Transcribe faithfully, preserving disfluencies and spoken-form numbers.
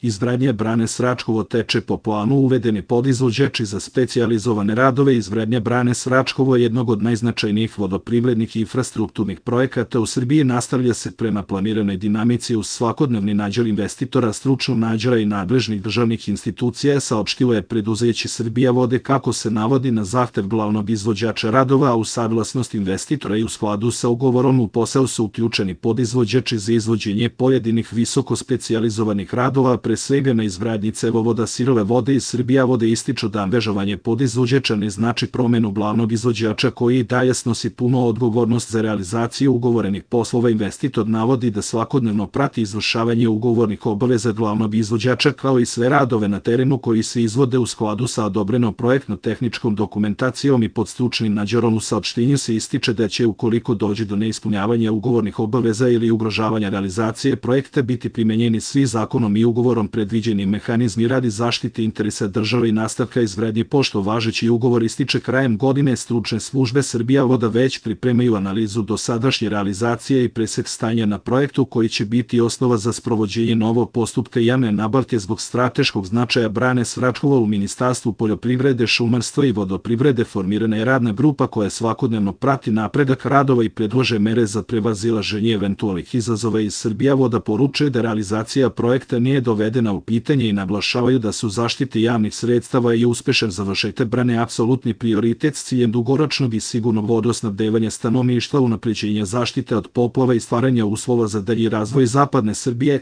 Izgradnja brane Svračkovo teče po planu, uvedeni podizvođači za specijalizovane radove. Izgradnja brane Svračkovo je jednog od najznačajnijih vodoprivrednih i infrastrukturnih projekata u Srbiji. Nastavlja se prema planiranoj dinamici uz svakodnevni nadzor investitora, stručnog nadzora i nadležnih državnih institucija, saopštilo je preduzeće Srbija vode. Kako se navodi, na zahtev glavnog izvođača radova, a u saglasnost investitora i u skladu sa ugovorom, u posao su uključeni podizvođači za izvođenje pojedinih visoko specijalizovanih radova, pre svega na izgradnji cevovoda sirove vode. Iz Srbija vode ističu da angažovanje podizvođača ne znači promenu glavnog izvođača koji i dalje snosi puno odgovornost za realizaciju ugovorenih poslova. Investitor navodi da svakodnevno prati izvršavanje ugovornih obaveza glavnog izvođača, kao i sve radove na terenu koji se izvode u skladu sa odobrenom projektno-tehničkom dokumentacijom i pod stručnim nadzorom. U saopštenju se ističe da će, ukoliko dođe do neispunjavanja ugovornih obaveza ili ugrožavanja realizacije projekta, biti primenjeni svi zakonom i ugovorom predviđeni mehanizmi radi zaštite interesa države i nastavka izgradnje. Pošto važeći ugovor ističe krajem godine, stručne službe Srbija voda već pripremaju analizu dosadašnje realizacije i presek stanja na projektu, koji će biti osnova za sprovođenje novog postupka javne nabavke. Zbog strateškog značaja brane Svračkovo u Ministarstvu poljoprivrede, šumarstva i vodoprivrede formirana je radna grupa koja svakodnevno prati napredak radova i predlaže mere za prevazilaženje eventualnih izazova. Iz Srbija voda poručuje da realizacija projekta nije dovedena u pitanje i naglašavaju da su zaštite javnih sredstava i uspešan završetak brane apsolutni prioritet s ciljem dugoročnog i sigurnog vodosnabdevanja stanovništva, unapređenja zaštite od poplava i stvaranja uslova za dalji razvoj zapadne Srbije.